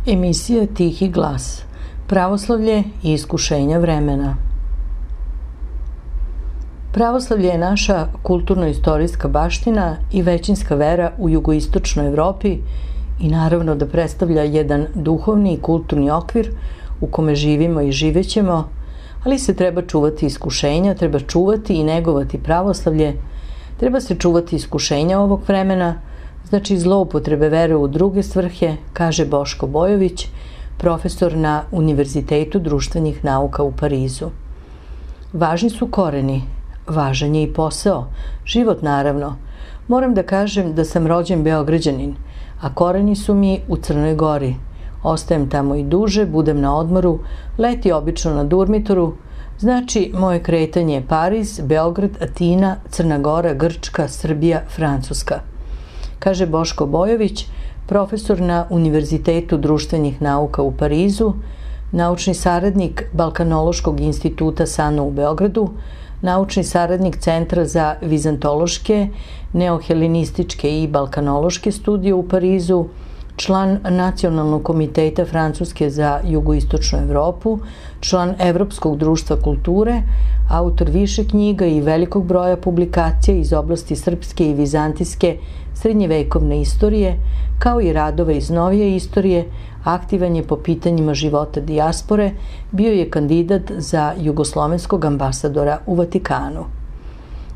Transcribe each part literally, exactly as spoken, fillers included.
Emisija Tihi glas. Pravoslavlje i iskušenja vremena. Pravoslavlje je naša kulturno-istorijska baština i većinska vera u jugoistočnoj Evropi i naravno da predstavlja jedan duhovni i kulturni okvir u kome živimo i živećemo, ali se treba čuvati iskušenja, treba čuvati i negovati pravoslavlje, treba se čuvati iskušenja ovog vremena, znači zloupotrebe vere u druge svrhe, kaže Boško Bojović, profesor na Univerzitetu društvenih nauka u Parizu. Važni su koreni, važan je i posao, život naravno. Moram da kažem da sam rođen Beograđanin, a koreni su mi u Crnoj Gori. Ostajem tamo i duže, budem na odmoru, leti obično na Durmitoru, znači moje kretanje je Pariz, Beograd, Atina, Crna Gora, Grčka, Srbija, Francuska. Kaže Boško Bojović, profesor na Univerzitetu društvenih nauka u Parizu, naučni saradnik Balkanološkog instituta SANU u Beogradu, naučni saradnik Centra za vizantološke, neohelenističke i balkanološke studije u Parizu, član Nacionalnog komiteta Francuske za jugoistočnu Evropu, član Evropskog društva kulture, autor više knjiga i velikog broja publikacija iz oblasti srpske i vizantijske srednjevekovne istorije, kao i radova iz novije istorije, aktivan je po pitanjima života dijaspore, bio je kandidat za jugoslovenskog ambasadora u Vatikanu.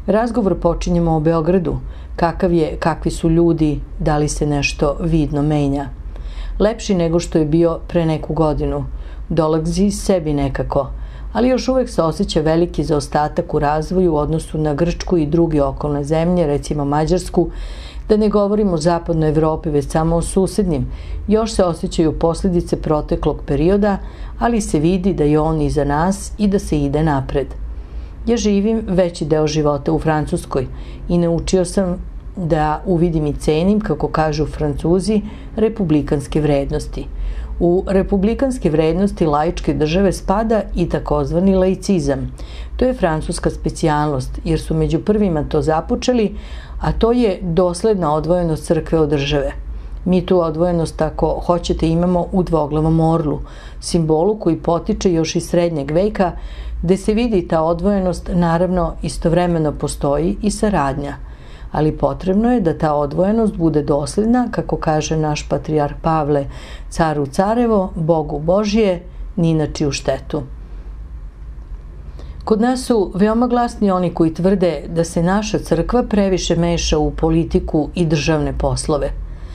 Razgovor počinjemo o Beogradu, kakav je, kakvi su ljudi, da li se nešto vidno menja. Lepši nego što je bio pre neku godinu, dolazi sebi nekako, ali još uvek se osjeća veliki zaostatak u razvoju u odnosu na Grčku i druge okolne zemlje, recimo Mađarsku, da ne govorimo o zapadnoj Evropi, već samo o susednim. Još se osjećaju posljedice proteklog perioda, ali se vidi da je on iza nas i da se ide napred. Ja živim veći deo života u Francuskoj i naučio sam da uvidim i cenim, kako kažu Francuzi, republikanske vrednosti. U republikanske vrednosti laičke države spada i takozvani laicizam. To je francuska specijalnost, jer su među prvima to započeli, a to je dosledna odvojenost crkve od države. Mi tu odvojenost, ako hoćete, imamo u dvoglavom orlu, simbolu koji potiče još iz srednjeg veka, gde se vidi ta odvojenost, naravno istovremeno postoji i saradnja. Ali potrebno je da ta odvojenost bude dosledna, kako kaže naš patrijarh Pavle, caru carevo, Bogu Božije, ni na čiju štetu. Kod nas su veoma glasni oni koji tvrde da se naša crkva previše meša u politiku i državne poslove.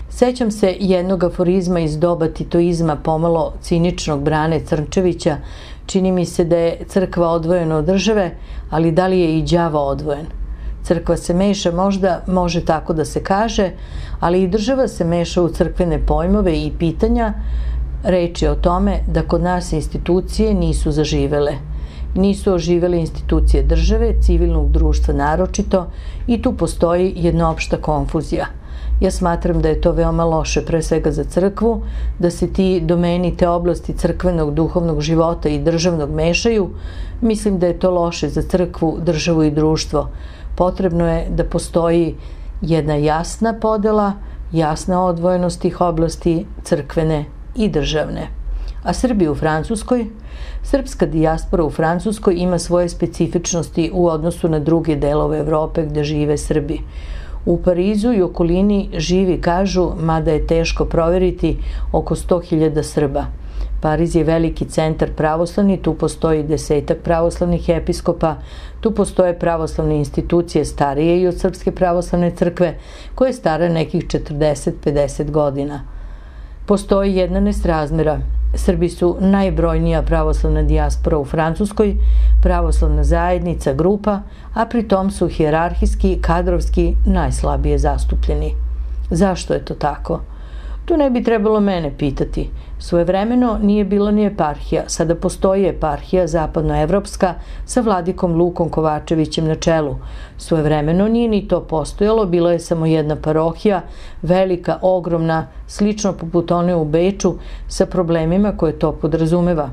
Sećam se jednog aforizma iz doba titoizma, pomalo ciničnog Brane Crnčevića. Čini mi se da je crkva odvojena od države, ali da li je i đavo odvojen? Crkva se meša, možda može tako da se kaže, ali i država se meša u crkvene pojmove i pitanja. Reč je o tome da kod nas institucije nisu zaživele. Nisu oživele institucije države, civilnog društva naročito, i tu postoji jedna opšta konfuzija. Ja smatram da je to veoma loše, pre svega za crkvu, da se ti domeni, te oblasti crkvenog, duhovnog života i državnog mešaju. Mislim da je to loše za crkvu, državu i društvo. Potrebno je da postoji jedna jasna podela, jasna odvojenost tih oblasti crkvene i državne. A Srbi u Francuskoj? Srpska dijaspora u Francuskoj ima svoje specifičnosti u odnosu na druge delove Evrope gde žive Srbi. U Parizu i okolini živi, kažu, mada je teško proveriti, oko sto hiljada Srba. Pariz je veliki centar pravoslavni, tu postoji desetak pravoslavnih episkopa, tu postoje pravoslavne institucije starije i od Srpske pravoslavne crkve, koje je stara nekih četrdeset do pedeset godina. Postoji jedna nesrazmera. Srbi su najbrojnija pravoslavna dijaspora u Francuskoj, pravoslavna zajednica, grupa, a pri tom su hijerarhijski, kadrovski najslabije zastupljeni. Zašto je to tako? Tu ne bi trebalo mene pitati. Svojevremeno nije bilo ni eparhija, sada postoji eparhija zapadnoevropska sa vladikom Lukom Kovačevićem na čelu. Svojevremeno nije ni to postojalo, bilo je samo jedna parohija, velika, ogromna, slično poput one u Beču, sa problemima koje to podrazumeva.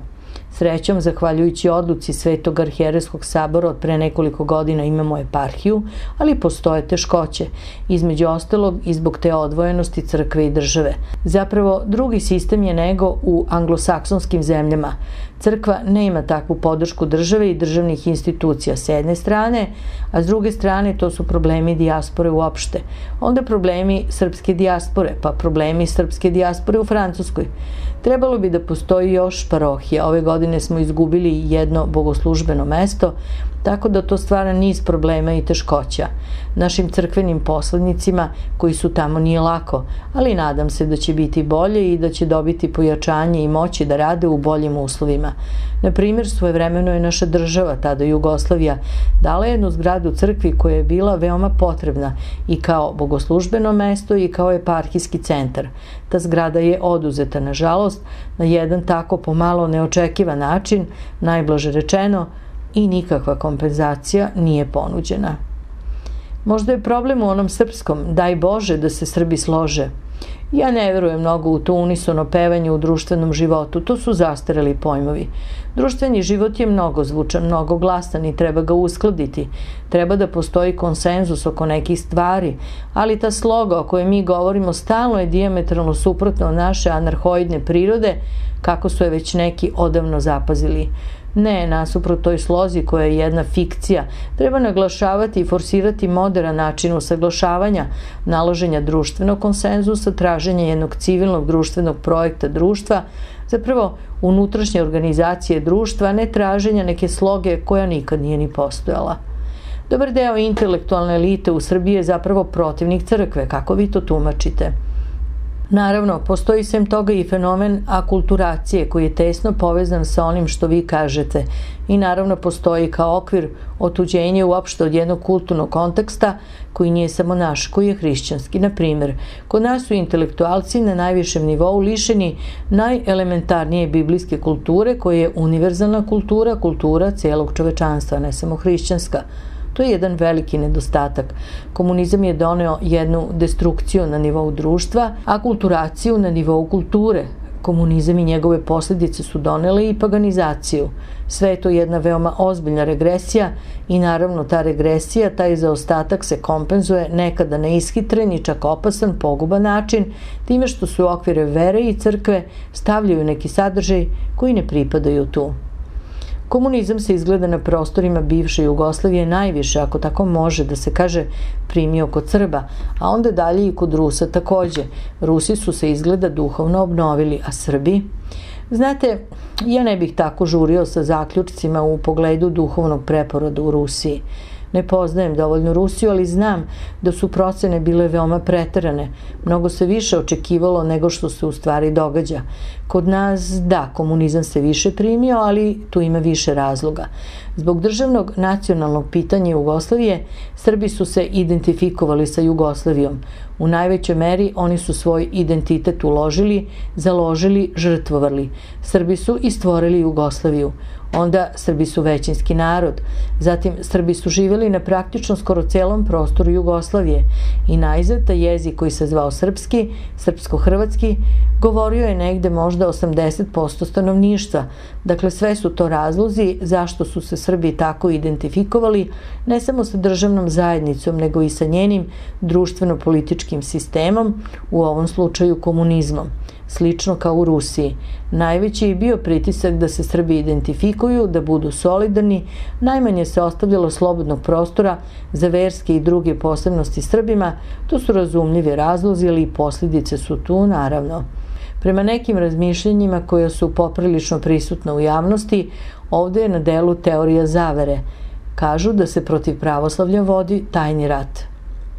Srećom, zahvaljujući odluci Svetog arhijerejskog sabora od pre nekoliko godina imamo eparhiju, ali postoje teškoće, između ostalog i zbog te odvojenosti crkve i države. Zapravo, drugi sistem je nego u anglosaksonskim zemljama. Crkva nema takvu podršku države i državnih institucija s jedne strane, a s druge strane to su problemi dijaspore uopšte. Onda problemi srpske dijaspore, pa problemi srpske dijaspore u Francuskoj. Trebalo bi da postoji još parohija. Ove godine smo izgubili jedno bogoslužbeno mesto, tako da to stvara niz problema i teškoća. Našim crkvenim poslednicima koji su tamo nije lako, ali nadam se da će biti bolje i da će dobiti pojačanje i moći da rade u boljim uslovima. Na primjer, svojevremeno je naša država, tada Jugoslavija, dala jednu zgradu crkvi koja je bila veoma potrebna i kao bogoslužbeno mesto i kao eparhijski centar. Ta zgrada je oduzeta, nažalost, na jedan tako pomalo neočekivan način, najblaže rečeno, i nikakva kompenzacija nije ponuđena. Možda je problem u onom srpskom, daj Bože da se Srbi slože. Ja ne verujem mnogo u to unisono pevanje u društvenom životu, to su zastareli pojmovi. Društveni život je mnogo zvučan, mnogo glasan i treba ga uskladiti. Treba da postoji konsenzus oko nekih stvari, ali ta sloga o kojoj mi govorimo stalno je dijametralno suprotno od naše anarhoidne prirode, kako su je već neki odavno zapazili. Ne, nasuprot toj slozi koja je jedna fikcija, treba naglašavati i forsirati moderan način usaglašavanja, naloženja društvenog konsenzusa, traženja jednog civilnog društvenog projekta društva, zapravo unutrašnje organizacije društva, a ne traženja neke sloge koja nikad nije ni postojala. Dobar deo intelektualne elite u Srbiji je zapravo protivnik crkve, kako vi to tumačite? Naravno, postoji sem toga i fenomen akulturacije koji je tesno povezan sa onim što vi kažete i naravno postoji kao okvir otuđenje uopšte od jednog kulturnog konteksta koji nije samo naš, koji je hrišćanski. Na primjer, kod nas su intelektualci na najvišem nivou lišeni najelementarnije biblijske kulture koja je univerzalna kultura, kultura celog čovečanstva, ne samo hrišćanska. To je jedan veliki nedostatak. Komunizam je doneo jednu destrukciju na nivou društva, a kulturaciju na nivou kulture. Komunizam i njegove posljedice su donele i paganizaciju. Sve je to jedna veoma ozbiljna regresija i naravno ta regresija, taj zaostatak se kompenzuje nekada na ishitren i čak opasan, poguban način, time što su u okvire vere i crkve stavljaju neki sadržaj koji ne pripadaju tu. Komunizam se izgleda na prostorima bivše Jugoslavije najviše, ako tako može da se kaže, primio kod Srba, a onda dalje i kod Rusa takođe. Rusi su se izgleda duhovno obnovili, a Srbi? Znate, ja ne bih tako žurio sa zaključcima u pogledu duhovnog preporoda u Rusiji. Ne poznajem dovoljno Rusiju, ali znam da su procene bile veoma preterane. Mnogo se više očekivalo nego što se u stvari događa. Kod nas, da, komunizam se više primio, ali tu ima više razloga. Zbog državnog nacionalnog pitanja Jugoslavije, Srbi su se identifikovali sa Jugoslavijom. U najvećoj meri oni su svoj identitet uložili, založili, žrtvovali. Srbi su i stvorili Jugoslaviju. Onda Srbi su većinski narod. Zatim Srbi su živjeli na praktično skoro celom prostoru Jugoslavije i najzad taj jezik koji se zvao srpski, srpsko-hrvatski, govorio je negde možda osamdeset posto stanovništva. Dakle, sve su to razlozi zašto su se Srbi tako identifikovali, ne samo sa državnom zajednicom, nego i sa njenim društveno-političkim sistemom, u ovom slučaju komunizmom. Slično kao u Rusiji. Najveći je bio pritisak da se Srbi identifikuju, da budu solidarni, najmanje se ostavljalo slobodnog prostora za verske i druge posebnosti Srbima, to su razumljivi razlozi, ali i posljedice su tu, naravno. Prema nekim razmišljenjima koja su poprilično prisutna u javnosti, ovde je na delu teorija zavere. Kažu da se protiv pravoslavlja vodi tajni rat.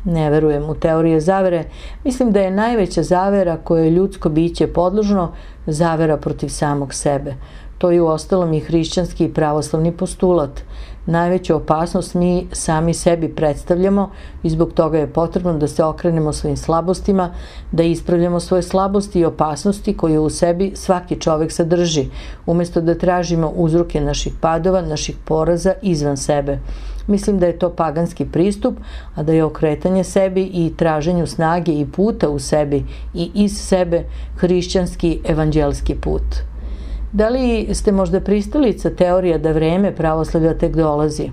Ne verujem u teorije zavere, mislim da je najveća zavera koje je ljudsko biće podložno zavera protiv samog sebe. To je uostalom i hrišćanski i pravoslavni postulat. Najveću opasnost mi sami sebi predstavljamo i zbog toga je potrebno da se okrenemo svojim slabostima, da ispravljamo svoje slabosti i opasnosti koje u sebi svaki čovek sadrži, umjesto da tražimo uzroke naših padova, naših poraza izvan sebe. Mislim da je to paganski pristup, a da je okretanje sebi i traženju snage i puta u sebi i iz sebe hrišćanski evanđelski put. Da li ste možda pristalica teorija da vreme pravoslavlja tek dolazi?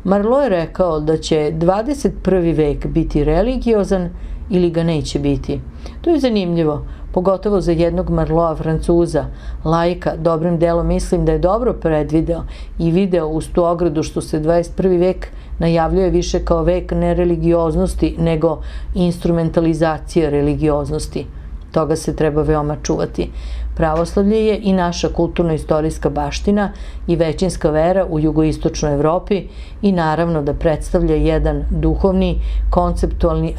Marlo je rekao da će dvadeset prvi vek biti religiozan ili ga neće biti. To je zanimljivo, pogotovo za jednog Marloa Francuza, laika. Dobrim delom mislim da je dobro predvideo i video uz tu ogradu što se dvadeset prvi vek najavljuje više kao vek nereligioznosti nego instrumentalizacije religioznosti. Toga se treba veoma čuvati. Pravoslavlje je i naša kulturno-istorijska baština i većinska vera u jugoistočnoj Evropi i naravno da predstavlja jedan duhovni, konceptualni,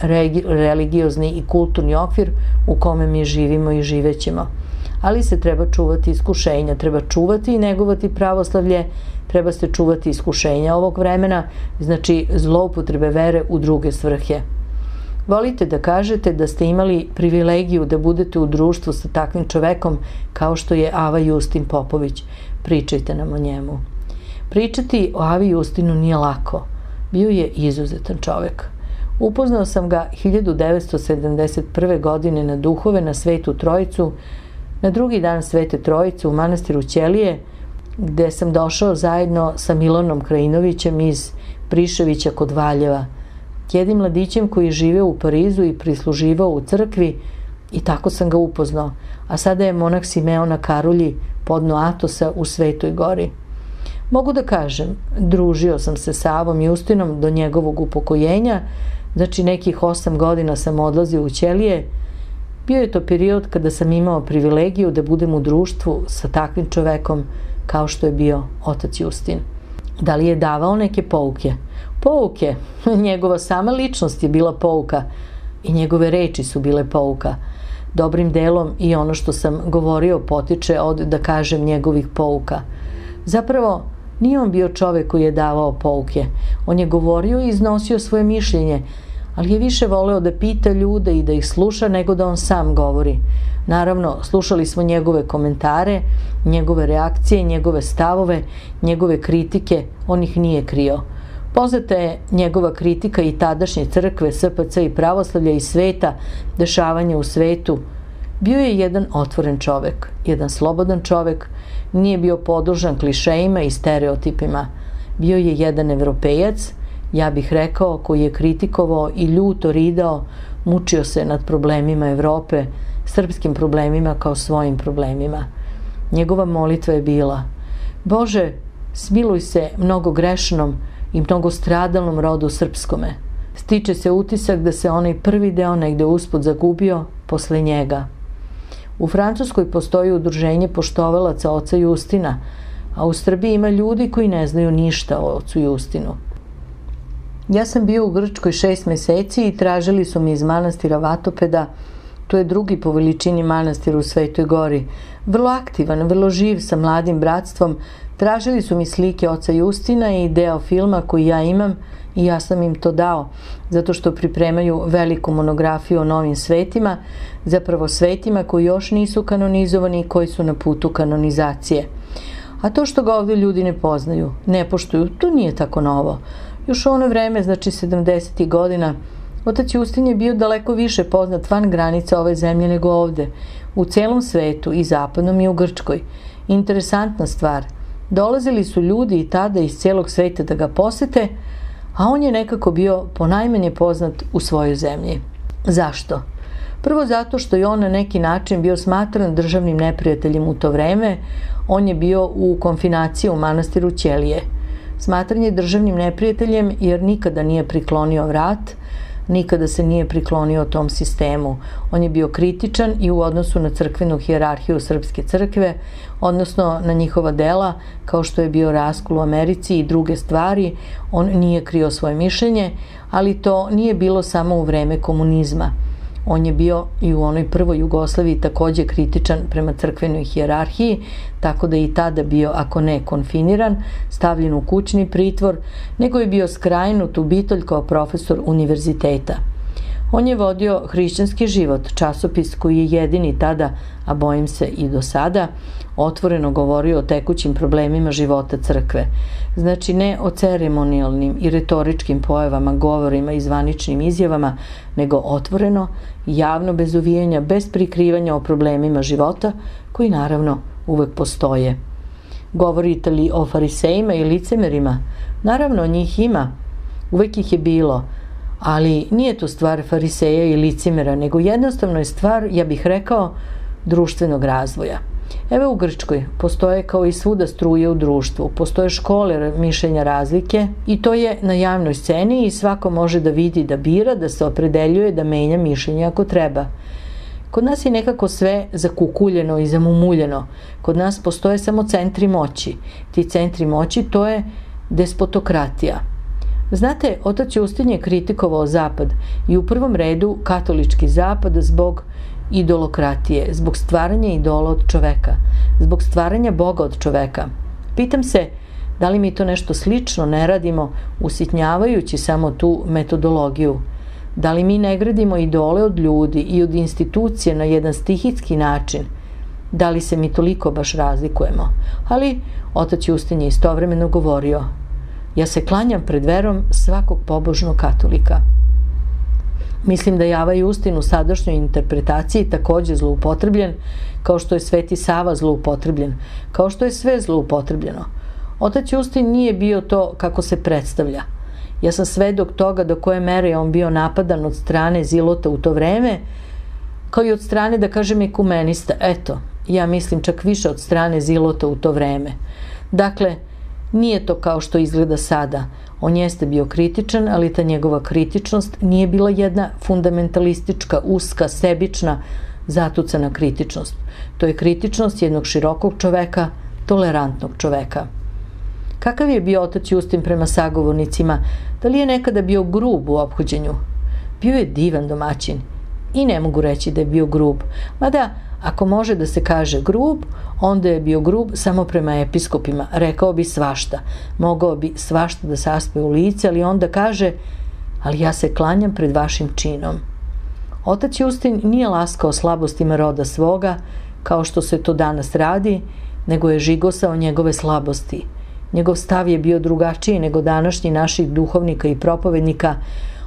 religiozni i kulturni okvir u kome mi živimo i živećemo. Ali se treba čuvati iskušenja, treba čuvati i negovati pravoslavlje, treba se čuvati iskušenja ovog vremena, znači zloupotrebe vere u druge svrhe. Volite da kažete da ste imali privilegiju da budete u društvu sa takvim čovekom kao što je Ava Justin Popović. Pričajte nam o njemu. Pričati o Avi Justinu nije lako. Bio je izuzetan čovek. Upoznao sam ga hiljadu devetsto sedamdeset prve. godine na Duhove na Svetu Trojicu, na drugi dan Svete Trojice u manastiru Ćelije, gde sam došao zajedno sa Milanom Krajinovićem iz Priševića kod Valjeva, jednim mladićem koji je živeo u Parizu i prisluživao u crkvi, i tako sam ga upoznao, a sada je monah Simeon na Karulji podno Atosa u Svetoj Gori. Mogu da kažem, družio sam se sa Avom Justinom do njegovog upokojenja, znači nekih osam godina sam odlazio u Ćelije. Bio je to period kada sam imao privilegiju da budem u društvu sa takvim čovekom kao što je bio otac Justin. Da li je davao neke pouke? Pouke. Njegova sama ličnost je bila pouka i njegove reči su bile pouka. Dobrim delom i ono što sam govorio potiče od, da kažem, njegovih pouka. Zapravo, nije on bio čovek koji je davao pouke. On je govorio i iznosio svoje mišljenje, ali je više voleo da pita ljude i da ih sluša nego da on sam govori. Naravno, slušali smo njegove komentare, njegove reakcije, njegove stavove, njegove kritike, on ih nije krio. Poznata je njegova kritika i tadašnje crkve, S P C i pravoslavlja i sveta, dešavanja u svetu. Bio je jedan otvoren čovek, jedan slobodan čovek, nije bio podložan klišejima i stereotipima. Bio je jedan evropejac, ja bih rekao, koji je kritikovao i ljuto ridao, mučio se nad problemima Evrope, srpskim problemima kao svojim problemima. Njegova molitva je bila: Bože, smiluj se mnogo grešnom i mnogo stradalnom rodu srpskome. Stiče se utisak da se onaj prvi deo negde usput zagubio posle njega. U Francuskoj postoji udruženje poštovalaca oca Justina, a u Srbiji ima ljudi koji ne znaju ništa o ocu Justinu. Ja sam bio u Grčkoj šest meseci i tražili su mi iz manastira Vatopeda, to je drugi po veličini manastir u Svetoj Gori, vrlo aktivan, vrlo živ sa mladim bratstvom, tražili su mi slike oca Justina i deo filma koji ja imam i ja sam im to dao, zato što pripremaju veliku monografiju o novim svetima, zapravo svetima koji još nisu kanonizovani i koji su na putu kanonizacije. A to što ga ovde ljudi ne poznaju, ne poštuju, to nije tako novo. Još u ono vreme, znači sedamdesetih godina, otac Justin je bio daleko više poznat van granica ove zemlje nego ovde, u celom svetu, i zapadnom i u Grčkoj. Interesantna stvar, dolazili su ljudi i tada iz celog sveta da ga posete, a on je nekako bio ponajmanje poznat u svojoj zemlji. Zašto? Prvo zato što je on na neki način bio smatran državnim neprijateljem u to vreme, on je bio u konfinaciji u manastiru Ćelije. Smatran je državnim neprijateljem jer nikada nije priklonio vrat, nikada se nije priklonio tom sistemu. On je bio kritičan i u odnosu na crkvenu hijerarhiju Srpske crkve, odnosno na njihova dela, kao što je bio raskol u Americi i druge stvari. On nije krio svoje mišljenje, ali to nije bilo samo u vreme komunizma. On je bio i u onoj prvoj Jugoslaviji takođe kritičan prema crkvenoj hijerarhiji, tako da je i tada bio, ako ne konfiniran, stavljen u kućni pritvor, nego je bio skrajnut u Bitolj kao profesor univerziteta. On je vodio hrišćanski život, časopis koji je jedini tada, a bojim se i do sada, otvoreno govorio o tekućim problemima života crkve. Znači ne o ceremonijalnim i retoričkim pojavama, govorima i zvaničnim izjavama, nego otvoreno, javno, bez uvijanja, bez prikrivanja o problemima života, koji naravno uvek postoje. Govorite li o farisejima i licemerima? Naravno, njih ima, uvek ih je bilo, ali nije to stvar fariseja i licemera, nego jednostavno je stvar, ja bih rekao, društvenog razvoja. Evo u Grčkoj postoje kao i svuda struje u društvu, postoje škole mišljenja razlike i to je na javnoj sceni i svako može da vidi, da bira, da se opredeljuje, da menja mišljenje ako treba. Kod nas je nekako sve zakukuljeno i zamumuljeno. Kod nas postoje samo centri moći. Ti centri moći to je despotokratija. Znate, otac Justin je kritikovao Zapad i u prvom redu katolički Zapad zbog idolokratije, zbog stvaranja idola od čoveka, zbog stvaranja Boga od čoveka. Pitam se, da li mi to nešto slično ne radimo usitnjavajući samo tu metodologiju? Da li mi ne gradimo idole od ljudi i od institucije na jedan stihijski način? Da li se mi toliko baš razlikujemo? Ali otac Justin je istovremeno govorio: ja se klanjam pred verom svakog pobožnog katolika. Mislim da je Ava Justin u sadašnjoj interpretaciji takođe zloupotrebljen, kao što je Sveti Sava zloupotrebljen, kao što je sve zloupotrebljeno. Otac Justin nije bio to kako se predstavlja. Ja sam svedok toga do koje mere je on bio napadan od strane Zilota u to vreme, kao i od strane, da kažem, ekumenista. Eto, ja mislim čak više od strane Zilota u to vreme. Dakle, nije to kao što izgleda sada. On jeste bio kritičan, ali ta njegova kritičnost nije bila jedna fundamentalistička, uska, sebična, zatucana kritičnost. To je kritičnost jednog širokog čoveka, tolerantnog čoveka. Kakav je bio otac Justin prema sagovornicima? Da li je nekada bio grub u ophođenju? Bio je divan domaćin i ne mogu reći da je bio grub. Mada, ako može da se kaže grub, onda je bio grub samo prema episkopima. Rekao bi svašta. Mogao bi svašta da saspe u lice, ali onda kaže: ali ja se klanjam pred vašim činom. Otac Justin nije laskao slabostima roda svoga, kao što se to danas radi, nego je žigosao njegove slabosti. Njegov stav je bio drugačiji nego današnji naših duhovnika i propovednika.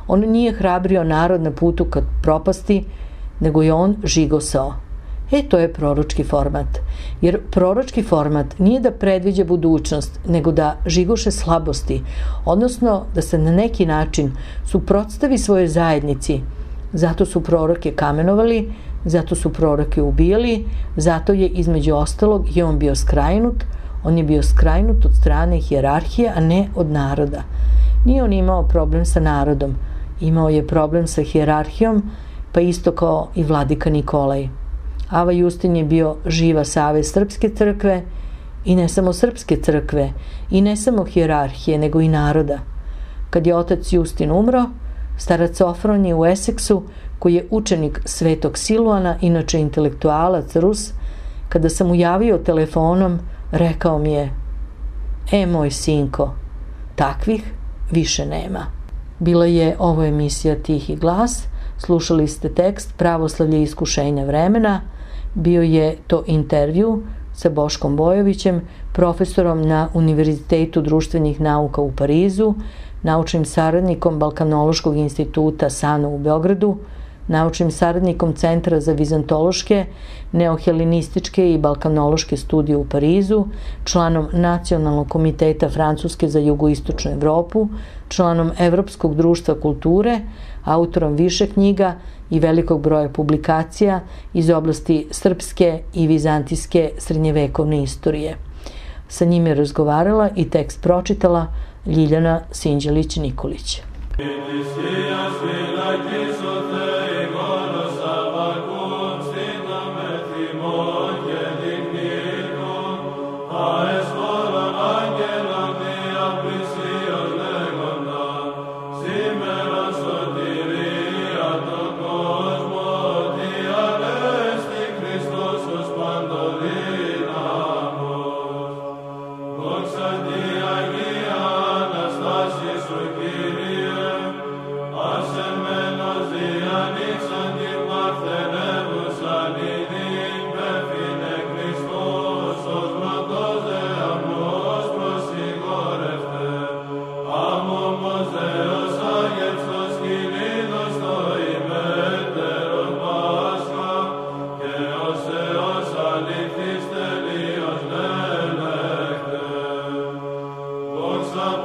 On nije hrabrio narod na putu ka propasti, nego je on žigosao. E, to je proročki format. Jer proročki format nije da predviđa budućnost, nego da žigoše slabosti, odnosno da se na neki način suprotstavi svojoj zajednici. Zato su proroke kamenovali, zato su proroke ubijali, zato je između ostalog i on bio skrajnut. On je bio skrajnut od strane hijerarhije, a ne od naroda. Nije on imao problem sa narodom, imao je problem sa hijerarhijom, pa isto kao i vladika Nikolaj. Ava Justin je bio živa savez srpske crkve i ne samo srpske crkve i ne samo hijerarhije, nego i naroda. Kad je otac Justin umro, starac Ofron je u Eseksu, koji je učenik svetog Siluana, inače intelektualac Rus, kada sam mu javio telefonom, rekao mi je: e, moj sinko, takvih više nema. Bila je ovo emisija Tihi glas, slušali ste tekst Pravoslavlje iskušenja vremena, bio je to intervju sa Boškom Bojovićem, profesorom na Univerzitetu društvenih nauka u Parizu, naučnim saradnikom Balkanološkog instituta SANU u Beogradu, naučnim saradnikom Centra za vizantološke, neohelenističke i balkanološke studije u Parizu, članom Nacionalnog komiteta Francuske za jugoistočnu Evropu, članom Evropskog društva kulture, autorom više knjiga i velikog broja publikacija iz oblasti srpske i vizantijske srednjevekovne istorije. Sa njim je razgovarala i tekst pročitala Ljiljana Sinđelić-Nikolić.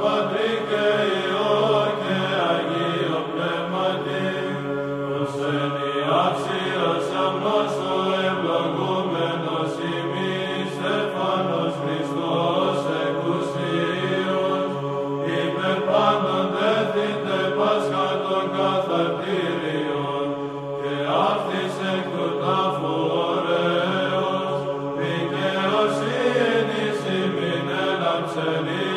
Patrick, se mi